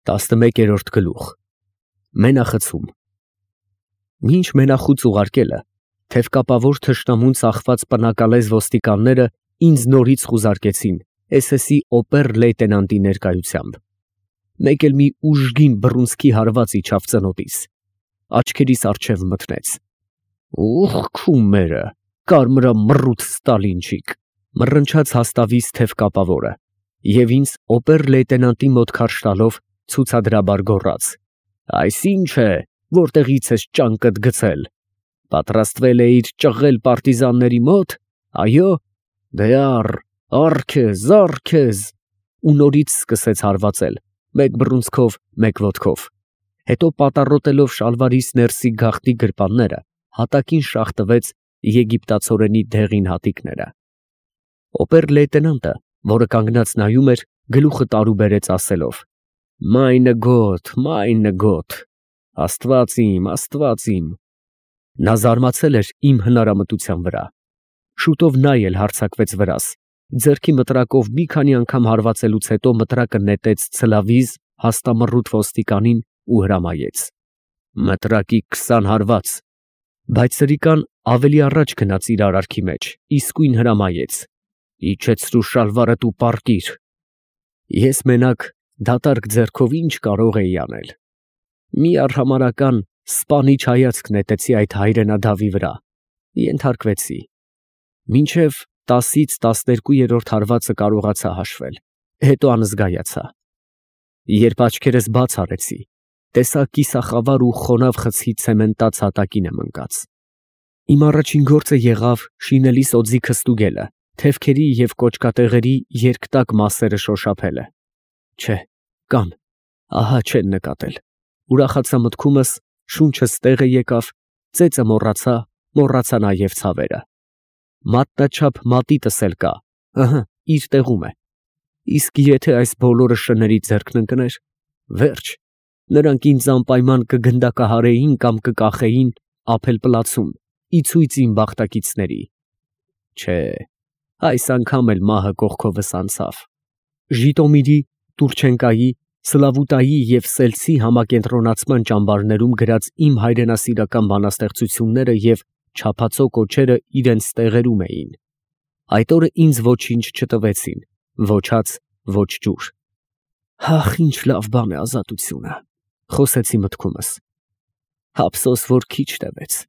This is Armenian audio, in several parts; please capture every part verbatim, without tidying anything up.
տասնմեկերորդ գլուխ Մենախցում Մինչ մենախուց ուղարկելը, թևկապավոր թշնամուն ծախված պնակալեզ ոստիկանները ինձ նորից խուզարկեցին էս էսի օպեր֊լեյտենանտի ներկայությամբ։ Մեկ էլ մի ուժգին բռունցքի հարված իջավ ծնոտից, աչքերիս առջև մթնեց։ Ուխ քումերը, կարմրա մռութ Ստալինչիկ, մռնչաց հաստավից թևկապավորը, և ինձ օպեր֊լեյտենանտի մոտ քարշ տալով ցուցադրաբար գոռաց. Այս ի՞նչ է, որտեղից ես ճանկդ գցել, պատրաստվել էիր ճղել պարտիզանների մոտ, այո, դե առ, առ քեզ, առ քեզ, ու նորից սկսեց հարվածել, մեկ բռունցքով, մեկ ոտքով, հետո պատառոտելով շալվարիս ներսի գաղտնի գրպանները, հատակին շաղ տվեց եգիպտացորենի դեղին հատիկները։ Օպեր֊լեյտենանտը, որը կանգնած նայում էր, գլուխը տարուբերեց ասելով. Մայնը գոտ, մայնը գոտ, աստված իմ, աստված իմ։ Նա զարմացել էր իմ հնարամտության վրա։ Շուտով նա էլ հարձակվեց վրաս, ձեռքի մտրակով մի քանի անգամ հարվածելուց հետո մտրակը նետեց ցլավիզ հաստամռութ ոստիկանին ու հրամայեց. Մտրակի քսան հարված։ Բայց սրիկան ավելի առաջ գնաց իր արարքի մեջ, իսկույն հրամայեց. Իջեցրու շալվարդ ու պառկիր։ Ես մենակ դատարկ ձեռքով ինչ կարող էի անել։ Մի արհամարհական սպանիչ հայացք նետեցի այդ հայրենադավի վրա, ենթարկվեցի։ Մինչև տասից տասներկուերորդ հարվածը կարողացա հաշվել, հետո անզգայացա։ Երբ աչքերս բաց արեցի, տեսա կիսախավար ու խոնավ խցի ցեմենտած հատակին եմ ընկած։ Իմ առաջին գործը եղավ շինելիս օձիքը ստուգելը, թևքերի և կոճկատեղերի երկտակ մասերը շոշափելը։ Չէ, կան, ահա չեն նկատել։ Ուրախացա մտքումս, շունչս տեղը եկավ, ծեծը մոռացա, մոռացա նաև ցավերը։ Մատնաչափ մատիտս էլ կա, ըհը, իր տեղում է։ Իսկ եթե այս բոլորը շների ձեռքն ընկներ, վերջ, նրանք ինձ անպայման կգնդակահարեին կամ կկախեին Ափել֊Պլացում, ի ցույց իմ բախտակիցների։ Չէ, այս անգամ էլ մահը կողքովս անցավ։ Ժիտոմիրի, Տուրչենկայի, Սլավուտայի և Սելցի համակենտրոնացման ճամբարներում գրած իմ հայրենասիրական բանաստեղծությունները և չափածո կոչերը իրենց տեղերում էին։ Այդ օրը ինձ ոչինչ չտվեցին, ոչ հաց, ոչ ջուր։ Ահ, ինչ լավ բան է ազատությունը, խոսեցի մտքումս։ Ափսոս, որ քիչ տևեց,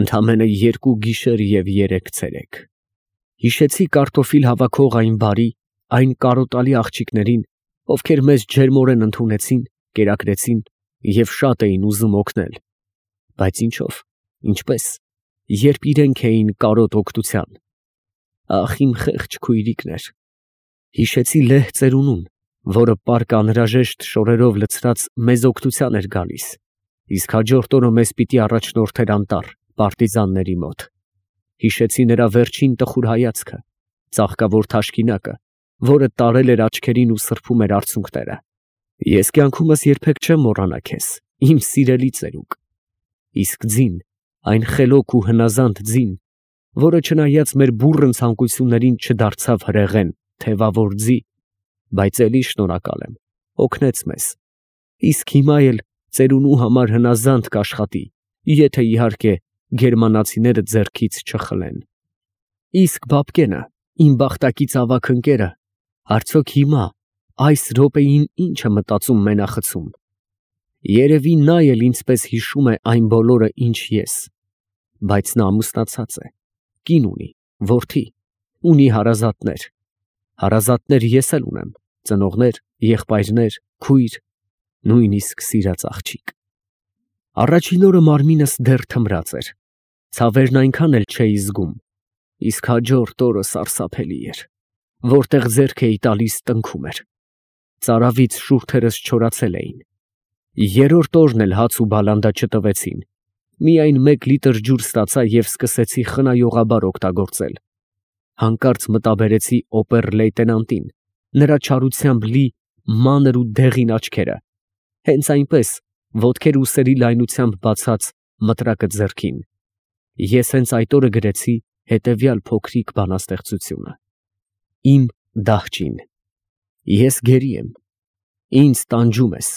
ընդամենը երկու գիշեր և երեք ցերեկ։ Հիշեցի կարտոֆիլ հավաքող այն բարի, այն կարոտալի աղջիկներին, ովքեր մեզ ջերմորեն ընդունեցին, կերակրեցին և շատ էին ուզում օգնել, բայց ինչով, ինչպես, երբ իրենք էին կարոտ օգնության։ Ախ, իմ խեղճ քույրիկներ։ Հիշեցի լեհ ծերունուն, որը պառկը անհրաժեշտ շորերով լցրած մեզ օգնության էր գալիս, իսկ հաջորդ օրը մեզ պիտի առաջնորդեր անտառ, պարտիզանների մոտ։ Հիշեցի նրա վերջին տխուր հայացքը, ծաղկավոր թաշկինակը, որը տարել էր աչքերին ու սրբում էր արցունքները։ Ես կյանքումս երբեք չեմ մոռանա քեզ, իմ սիրելի ծերուկ։ Իսկ ձին, այն խելոք ու հնազանդ ձին, որը չնայած մեր բուռն ցանկություններին չդարձավ հրեղեն, թևավոր ձի, բայց էլի շնորհակալ եմ, օգնեց մեզ։ Իսկ հիմա էլ ծերունու համար հնազանդ կաշխատի, եթե իհարկե գերմանացիները ձեռքից չխլեն։ Իսկ Բաբկենը, իմ բախտակից ավագ ընկերը, արդյոք հիմա, այս րոպեին ի՞նչ է մտածում մենախցում։ Երևի նա էլ ինձպես հիշում է այն բոլորը, ինչ ես, բայց նա ամուսնացած է, կին ունի, որդի, ունի հարազատներ։ Հարազատներ ես էլ ունեմ, ծնողներ, եղբայրներ, քույր, նույնիսկ սիրած աղջիկ։ Առաջին օրը մարմինս դեռ թմրած էր, ցավերն այնքան էլ չէի զգում, իսկ հաջորդ օրը սարսափելի էր, որտեղ ձեռք էի տալիս տնքում էր։ Ծարավից շուրթերս չորացել էին։ Երրորդ օրն էլ հաց ու բալանդա չտվեցին, միայն մեկ լիտր ջուր ստացա և սկսեցի խնայողաբար օգտագործել։ Հանկարծ մտաբերեցի օպեր֊լեյտենանտին, նրա չարությամբ լի մանր ու դեղին աչքերը, հենց այնպես, ոտքեր ուսերի լայնությամբ բացած, մտրակը ձեռքին։ Ես հենց այդ օրը գրեցի հետևյալ փոքրիկ բանաստեղծությունը. Իմ դահճին։ Ես գերի եմ, Ինձ տանջում ես,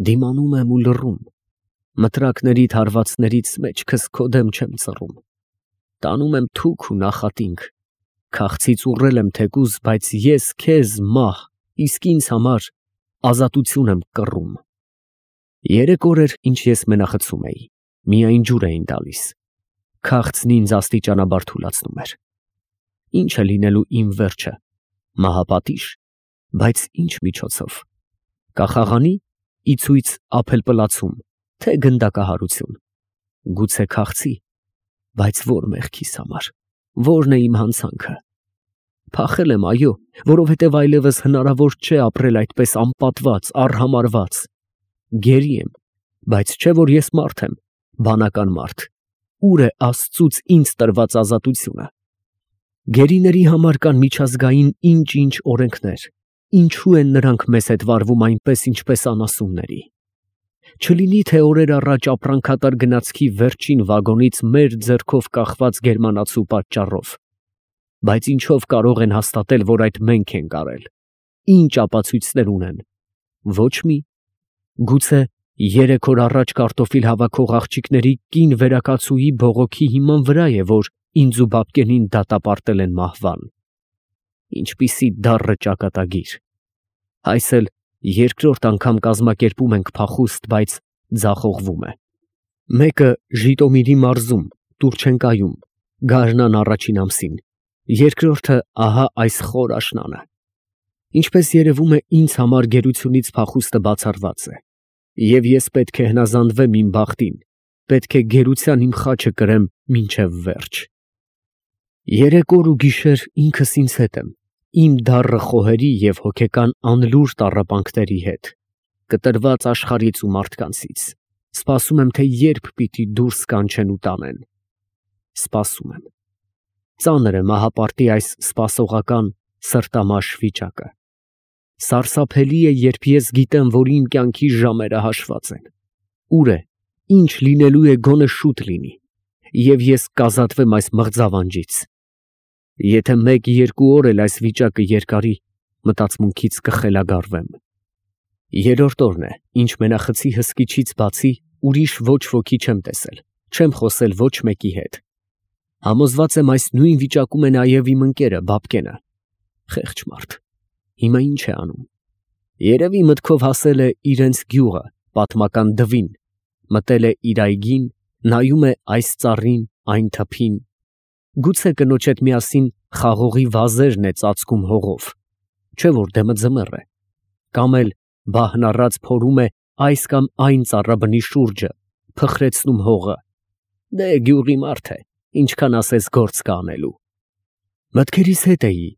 դիմանում եմ ու լռում, մտրակներիդ հարվածներից մեջքս քո դեմ չեմ ծռում, տանում եմ թուք ու նախատինք, քաղցից ուռել եմ թեկուզ, բայց ես քեզ մահ, իսկ ինձ համար ազատություն եմ կռում։ Երեք օր էր, ինչ ես մենախցում էի, միայն ջուր էին տալիս, քաղցն ինձ աստիճանաբար թուլացնում էր։ Ինչ է լինելու իմ վերջը, մահապատիժ, բայց ինչ միջոցով, կախաղանի, իցույց ապելպլացում, թե գնդակահարություն, գուցե քաղցի, բայց որ մեղքիս համար, որն է իմ հանցանքը։ Փախել եմ, այո, որովհետև այլևս հնարավոր չէ ապրել այդպես անպատված, արհամարհված։ Գերի եմ, բայց չէ որ ես մարդ եմ, բանական մարդ, ուր է Աստծուց ինձ տրված ազատությունը։ Գերիների համար կան միջազգային ինչ-ինչ օրենքներ, ինչու են նրանք մեզ հետ վարվում այնպես, ինչպես անասունների։ Չլինի թե օրեր առաջ ապրանքատար գնացքի վերջին վագոնից մեր ձեռքով կախված գերմանացու պատճառով, բայց ինչով կարող են հաստատել, որ այդ մենք ենք արել, ինչ ապացույցներ ունեն, ոչ մի, գուցե երեք օր առաջ կարտոֆիլ հավաքող աղջիկների կին վերակացուի բողոքի հիման վրա է, որ ինձ ու բաբկենին դատապարտել են մահվան։ Ինչպիսի դառը ճակատագիր։ Այս էլ երկրորդ անգամ կազմակերպում ենք փախուստ, բայց ձախողվում է։ Մեկը Ժիտոմիրի մարզում, Տուրչենկայում, գարնան առաջին ամսին, երկրորդը ահա այս խոր աշնանը։ Ինչպես երևում է, ինձ համար գերությունից փախուստը բացառված է, և ես պետք է հնազանդվեմ իմ բախտին, պետք է գերության իմ խաչը կրեմ մինչև վերջ։ Երեք օր ու գիշեր ինքս ինձ հետ եմ, իմ դառը խոհերի և հոգեկան անլուր տառապանքների հետ, կտրված աշխարհից ու մարդկանցից, սպասում եմ, թե երբ պիտի դուրս կանչեն ու տանեն։ Սպասում եմ։ Ծանր է մահապարտի այս սպասողական սրտամաշ վիճակը։ Սարսափելի է, երբ ես գիտեմ, որ իմ կյանքի ժամերը հաշված են։ Ուր է, ինչ լինելու է, գոնե շուտ լինի, և ես կազատվեմ այս մղձավանջից։ Եթե մեկ-երկու օր էլ այս վիճակը երկարի, մտածմունքից կխելագարվեմ։ Երրորդ օրն է, ինչ մենախցի հսկիչից բացի ուրիշ ոչ ոքի չեմ տեսել, չեմ խոսել ոչ մեկի հետ։ Համոզված եմ, այս նույն վիճակում է նաև իմ ընկերը Բաբկենը։ Խեղճ մարդ, հիմա ինչ է անում։ Երևի մտքով հասել է իրենց գյուղը, պատմական Դվին, մտել է իր այգին, նայում է այս ծառին, այն թփին, գուցե կնոջ հետ միասին խաղողի վազերն է ծածկում հողով, չէ որ դեմը ձմեռ է, կամ էլ բահն առած փորում է այս կամ այն ծառաբնի շուրջը, փխրեցնում հողը։ Դե գյուղի մարդ է, ինչքան ասես գործ կա անելու։ Մտքերիս հետ էի,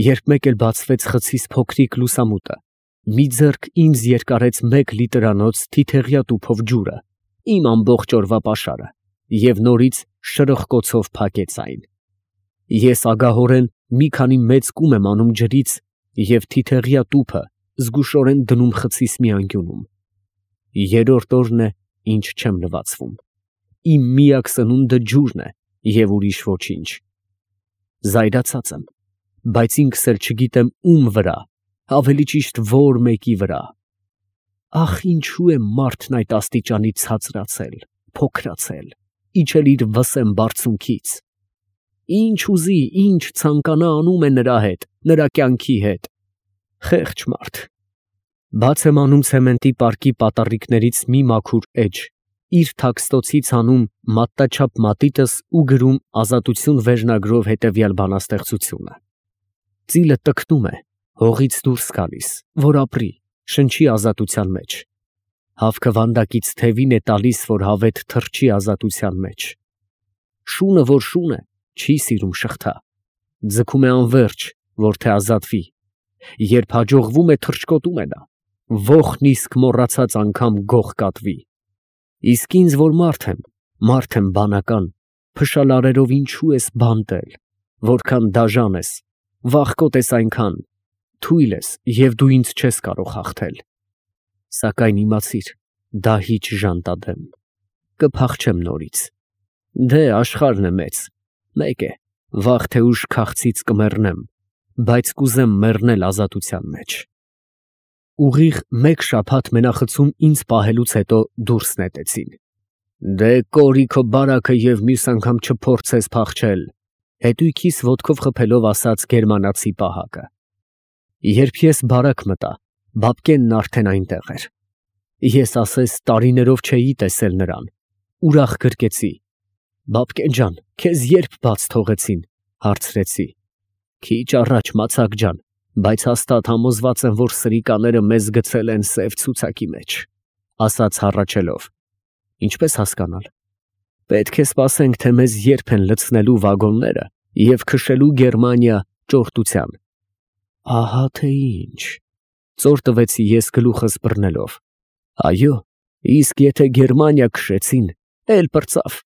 երբ մեկ էլ բացվեց խցիս փոքրիկ լուսամուտը, մի ձեռք ինձ երկարեց մեկ լիտրանոց թիթեղյա տուփով ջուրը, իմ ամբողջ օրվա պաշարը, և նորից շրխկոցով փակեց այն։ Ես ագահորեն մի քանի մեծ կում եմ անում ջրից և թիթեղյա տուփը զգուշորեն դնում խցիս մի անկյունում։ Երրորդ օրն է, ինչ չեմ լվացվում։ Իմ միակ սնունդը ջուրն է և ուրիշ ոչինչ։ Զայրացած եմ, բայց ինքս էլ չգիտեմ ում վրա, ավելի ճիշտ որ մեկի վրա։ Ախ, ինչու է մարդն այդ աստիճանի ցածրացել, փոքրացել, իջել իր վսեմ բարձունքից։ Ինչ ուզի, ինչ ցանկանա անում է նրա հետ, նրա կյանքի հետ։ Խեղճ մարդ։ Բաց եմ անում ցեմենտի պարկի պատառիկներից մի մաքուր էջ, իր թաքստոցից հանում մատնաչափ մատիտս ու գրում ազատություն վերնագրով հետևյալ բանաստեղծությունը։ Ծիլը տկնում է, հողից դուրս գալիս, որ ապրի, շնչի ազատության մեջ։ Հավքը վանդակից թևին է տալիս, որ հավետ թռչի ազատության մեջ։ Շունը, որ շուն է, չի սիրում շղթա, ձգում է անվերջ, որ թե ազատվի, երբ հաջողվում է, թռչկոտում է նա, ոխն իսկ մոռացած անգամ գող կատվի։ Իսկ ինձ, որ մարդ եմ, մարդ եմ բանական, փշալարերով ինչու ես բանտել, որքան դաժան ես, վախկոտ ես այնքան, թույլ ես և դու ինձ չես կարող հաղթել։ Սակայն իմացիր, դահիճ ժանտադեմ, կփախչեմ նորից։ Դե աշխարհն է մեծ, մեկ է, վաղ թե ուշ քաղցից կմեռնեմ, բայց կուզեմ մեռնել ազատության մեջ։ ուղիղ մեկ շաբաթ մենախցում ինձ պահելուց հետո դուրս նետեցին։ Դե կորիքը բարակը և մյուս անգամ չփորձես փախչել, հետույքիս ոտքով խփելով ասաց գերմանացի պահակը։ Երբ ես բարակ մտա, բաբկենն արդեն այնտեղ էր։ Ես ասես տարիներով չէի տեսել նրան, ուրախ գրկեցի։ Բաբկեն ջան, քեզ երբ բաց թողեցին, հարցրեցի։ Քիչ առաջ մացակ ջան, բայց հաստատ համոզված եմ, որ սրիկաները մեզ գցել են սև ցուցակի մեջ, ասաց հառաչելով։ Ինչպես հասկանալ։ Պետք է սպասենք, թե մեզ երբ են լցնելու վագոնները և քշելու Գերմանիա ճորտության։ Ահա թե ինչ, ծոր տվեցի ես գլուխս բռնելով։ Այո, իսկ եթե Գերմանիա քշեցին, էլ պրծավ,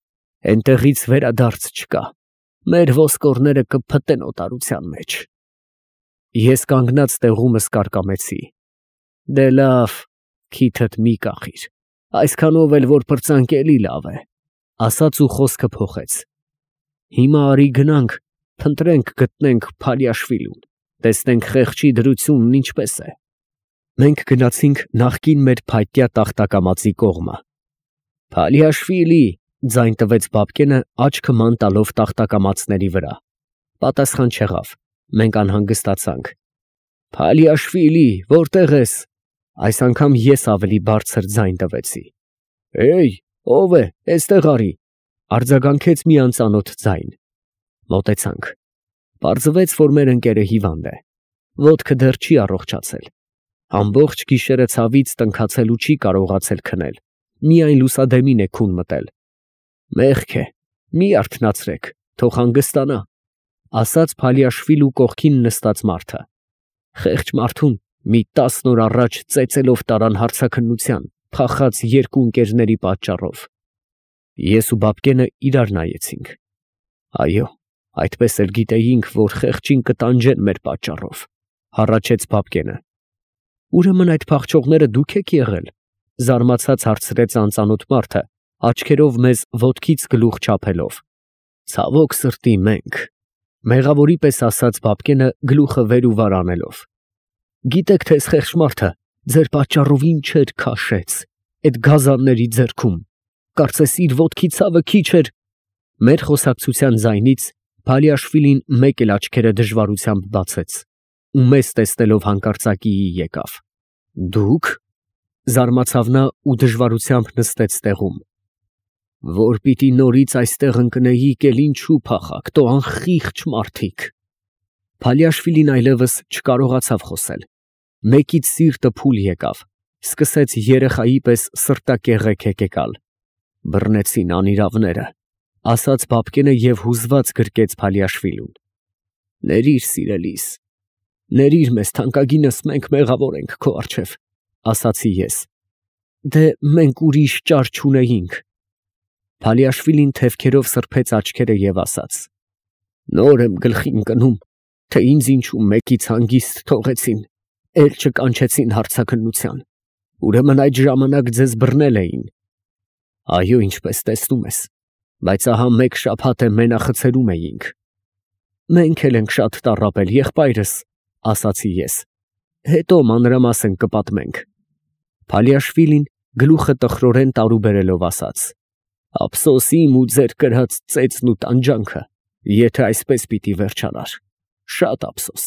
էնտեղից վերադարձ չկա, մեր ոսկորները կփտեն օտարության մեջ։ Ես կանգնած տեղումս կարկամեցի։ Դե լավ, քիթդ մի կախիր, այսքանով էլ որ պրծանք էլի լավ է, ասաց ու խոսքը փոխեց։ Հիմա արի գնանք, փնտրենք գտնենք Փալիաշվիլուն, տեսնենք խեղճի դրությունն ինչպես է։ Մենք գնացինք նախկին մեր փայտյա տախտակամածի կողմը։ Փալիաշվիլի, ձայն տվեց բաբկենը աչքը ման տալով տախտակամածների վրա։ Պատասխան չեղավ, մենք անհանգստացանք։ Փալիաշվիլի, որտեղ ես։ Այս անգամ ես ավելի բարձր ձայն տվեցի։ Էյ, ով է, էստեղ արի, արձագանքեց մի անծանոթ ձայն։ Մոտեցանք։ Պարզվեց, որ մեր ընկերը հիվանդ է, ոտքը դեռ չի առողջացել։ Ամբողջ գիշերը ցավից տնքացել ու չի կարողացել քնել, միայն լուսադեմին է քուն մտել։ Մեղք է, մի արթնացրեք, թող հանգստանա, ասաց Փալիաշվիլու կողքին նստած մարդը։ Խեղճ մարդուն մի տասն օր առաջ ծեծելով տարան հարցաքննության, փախած երկու ընկերների պատճառով։ Ես ու բաբկենը իրար նայեցինք։ Այո, այդպես էլ գիտեինք, որ խեղճին կտանջեն մեր պատճառով, հառաչեց բաբկենը։ Ուրեմն այդ փախչողները դուք եք եղել, զարմացած հարցրեց անծանոթ մարդը, աչքերով մեզ ոտքից գլուխ չափելով։ Ցավոք սրտի մենք, մեղավորի պես ասաց բաբկենը գլուխը վեր ու վար անելով։ Գիտեք թե այս խեղճ մարդը ձեր պատճառով ինչեր քաշեց այդ գազանների ձեռքում, կարծես իր ոտքի ցավը քիչ էր։ Մեր խոսակցության ձայնից Փալիաշվիլին մեկ էլ աչքերը դժվարությամբ բացեց ու մեզ տեսնելով հանկարծակիի եկավ։ Դուք, զարմացավ նա ու դժվարությամբ նստեց տեղում։ Որ պիտի նորից այստեղ ընկնեիք, էլ ինչու փախաք, տո անխիղճ մարդիկ։ Փալիաշվիլին այլևս չկարողացավ խոսել։ Մեկից սիրտը փուլ եկավ, սկսեց երեխայի պես սրտակեղեք հեկեկալ։ Բռնեցին անիրավները, ասաց բաբկենը և հուզված գրկեց Փալիաշվիլուն։ Ներիր սիրելիս, ներիր մեզ թանկագինս, մենք մեղավոր ենք քո առջև, ասացի ես։ Դե մենք ուրիշ ճար չունեինք։ Փալիաշվիլին թևքերով սրբեց աչքերը և ասաց. Նոր եմ գլխի ընկնում, թե ինձ ինչու մեկից հանգիստ թողեցին, էլ չկանչեցին հարցաքննության, ուրեմն այդ ժամանակ ձեզ բռնել էին։ Այո, ինչպես տեսնում ես, բայց ահա մեկ շաբաթ է մենախցերում էինք։ Մենք էլ ենք շատ տառապել, եղբայրս, ասացի ես, հետո մանրամասն կպատմենք։ Փալիաշվիլին գլուխը տխրորեն տարուբերելով ասաց. Ափսոս իմ ու ձեր կրած ծեծն ու տանջանքը, եթե այսպես պիտի վերջանար, շատ ափսոս։